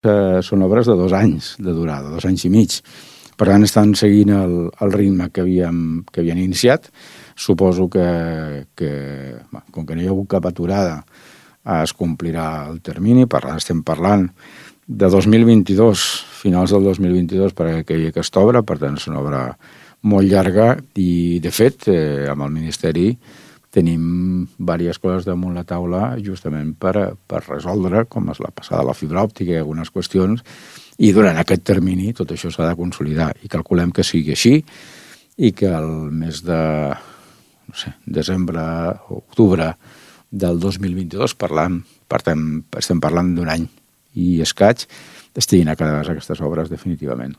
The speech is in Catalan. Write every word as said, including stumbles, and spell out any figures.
que són obres de dos anys de durada, dos anys i mig. Per tant, estan seguint el, el ritme que havíem, que havien iniciat. Suposo que, que bé, com que no hi ha hagut cap aturada, es complirà el termini. Per tant, estem parlant de dos mil vint-i-dos, finals del dos mil vint-i-dos, perquè aquella aquesta obra, per tant, és una obra molt llarga i, de fet, eh, amb el Ministeri tenim diverses coses damunt la taula justament per, per resoldre, com és la passada de la fibra òptica i algunes qüestions, i durant aquest termini tot això s'ha de consolidar i calculem que sigui així i que el mes de no sé, desembre o octubre del dos mil vint-i-dos parlant, per tant, estem parlant d'un any i escaig, estiguin acabades aquestes obres definitivament.